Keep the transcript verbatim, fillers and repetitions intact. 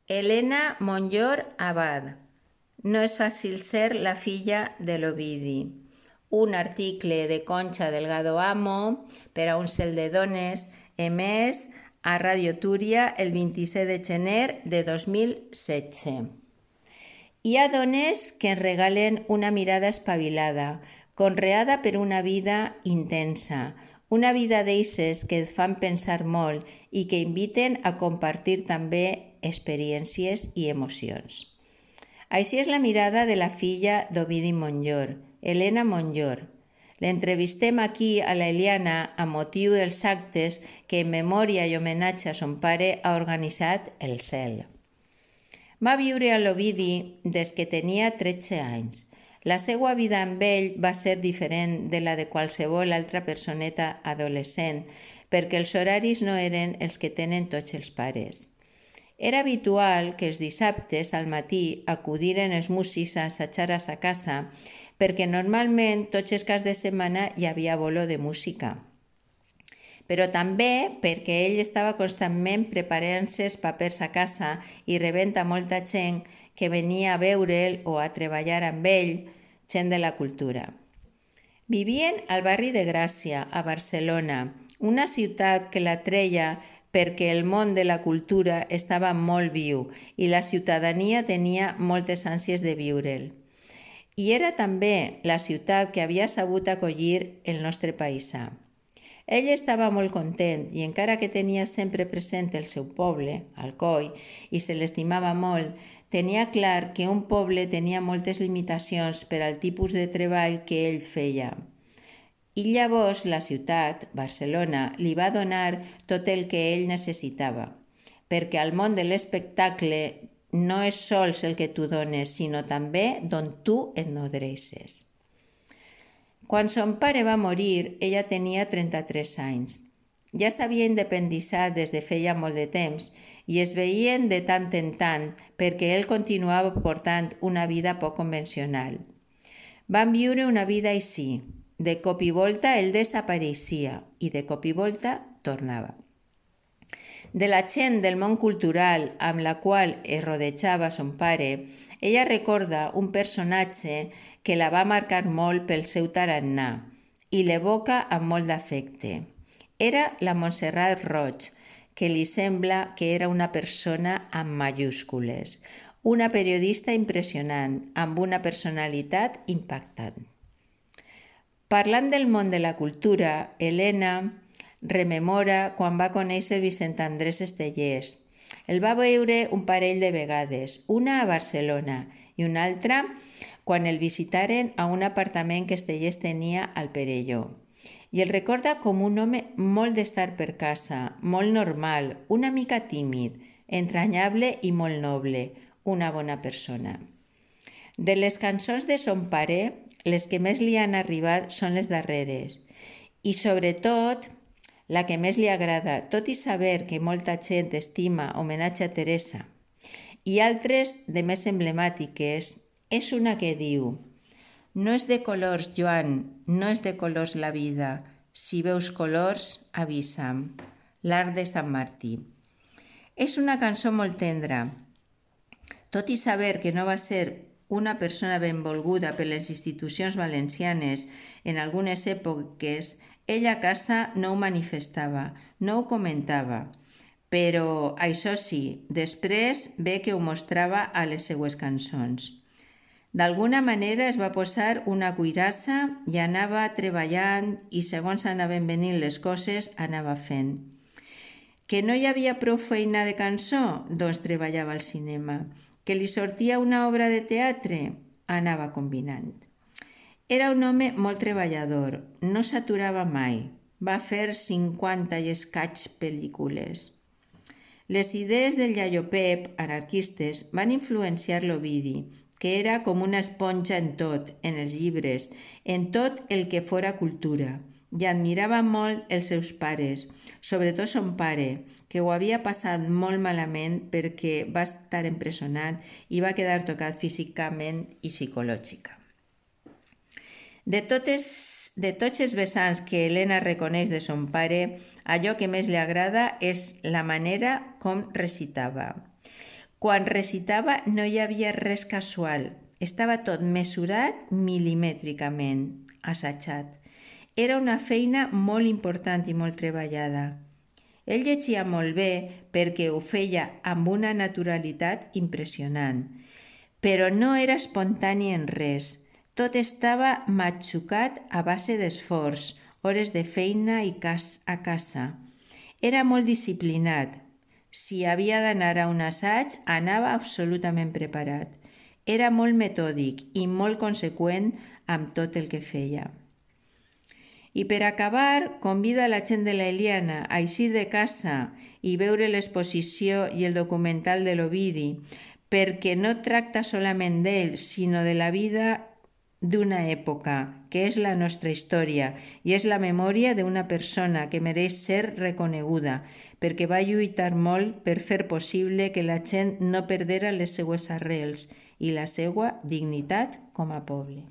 Elena Monllor Abad. No és fàcil ser la filla de l'Ovidi. Un article de Concha Delgado Amo per a un cel de dones emès a Radio Túria el vint-i-set de gener de dos mil setze. Hi ha dones que ens regalen una mirada espavilada, conreada per una vida intensa, una vida d'eixes que et fan pensar molt i que inviten a compartir també experiències i emocions. Així és la mirada de la filla d'Ovidi Monllor, Elena Monllor. L'entrevistem aquí a la Eliana a motiu dels actes que en memòria i homenatge a son pare ha organitzat el Cel. Va viure a l'Ovidi des que tenia tretze anys. La seva vida amb ell va ser diferent de la de qualsevol altra personeta adolescent, perquè els horaris no eren els que tenen tots els pares. Era habitual que els dissabtes al matí acudiren els músics a assajar a sa casa, perquè normalment tots els caps de setmana hi havia bolo de música. Però també perquè ell estava constantment preparant-se els papers a casa i rebent a molta gent que venia a veure'l o a treballar amb ell, gent de la cultura. Vivien al barri de Gràcia, a Barcelona, una ciutat que la treia perquè el món de la cultura estava molt viu i la ciutadania tenia moltes ànsies de viure'l. I era també la ciutat que havia sabut acollir el nostre paisà. Ell estava molt content i encara que tenia sempre present el seu poble, Alcoi, i se l'estimava molt, tenia clar que un poble tenia moltes limitacions per al tipus de treball que ell feia. I llavors la ciutat, Barcelona, li va donar tot el que ell necessitava, perquè al món de l'espectacle no és sols el que tu dones, sinó també d'on tu et nodreixes. Quan son pare va morir, ella tenia trenta-tres anys. Ja s'havia independitzat des de feia molt de temps i es veien de tant en tant perquè ell continuava portant una vida poc convencional. Van viure una vida així. De cop i volta ell desapareixia i de cop i volta tornava. De la gent del món cultural amb la qual es rodejava son pare, ella recorda un personatge que la va marcar molt pel seu tarannà i l'evoca amb molt d'afecte. Era la Montserrat Roig, que li sembla que era una persona amb majúscules, una periodista impressionant, amb una personalitat impactant. Parlant del món de la cultura, Elena rememora quan va conèixer Vicent Andrés Estellés. El va veure un parell de vegades, una a Barcelona i una altra quan el visitaren a un apartament que Estellés tenia al Perelló. I el recorda com un home molt d'estar per casa, molt normal, una mica tímid, entranyable i molt noble, una bona persona. De les cançons de son pare, les que més li han arribat són les darreres i, sobretot, la que més li agrada, tot i saber que molta gent estima Homenatge a Teresa, i altres de més emblemàtiques, és una que diu: no és de colors, Joan, no és de colors la vida. Si veus colors, avisa'm. L'Arc de Sant Martí. És una cançó molt tendra. Tot i saber que no va ser una persona benvolguda per les institucions valencianes en algunes èpoques, ella a casa no ho manifestava, no ho comentava. Però, això sí, després ve que ho mostrava a les seues cançons. D'alguna manera es va posar una cuirassa i anava treballant i segons anaven venint les coses anava fent. Que no hi havia prou feina de cançó? Doncs treballava al cinema. Que li sortia una obra de teatre? Anava combinant. Era un home molt treballador, no s'aturava mai. Va fer cinquanta i escaig pel·lícules. Les idees del iaio Pep, anarquistes, van influenciar l'Ovidi, que era com una esponja en tot, en els llibres, en tot el que fora cultura, i admirava molt els seus pares, sobretot son pare, que ho havia passat molt malament perquè va estar empresonat i va quedar tocat físicament i psicològica. De, totes, de tots els vessants que Elena reconeix de son pare, allò que més li agrada és la manera com recitava. Quan recitava no hi havia res casual, estava tot mesurat milimètricament, assajat. Era una feina molt important i molt treballada. Ell llegia molt bé perquè ho feia amb una naturalitat impressionant, però no era espontani en res. Tot estava matxucat a base d'esforç, hores de feina i cas a casa. Era molt disciplinat. Si havia d'anar a un assaig, anava absolutament preparat. Era molt metòdic i molt conseqüent amb tot el que feia. I per acabar, convida la gent de la Ilíada a eixir de casa i veure l'exposició i el documental de l'Ovidi, perquè no tracta solament d'ell, sinó de la vida d'una època, que és la nostra història, i és la memòria d'una persona que mereix ser reconeguda, perquè va lluitar molt per fer possible que la gent no perdera les seues arrels i la seva dignitat com a poble.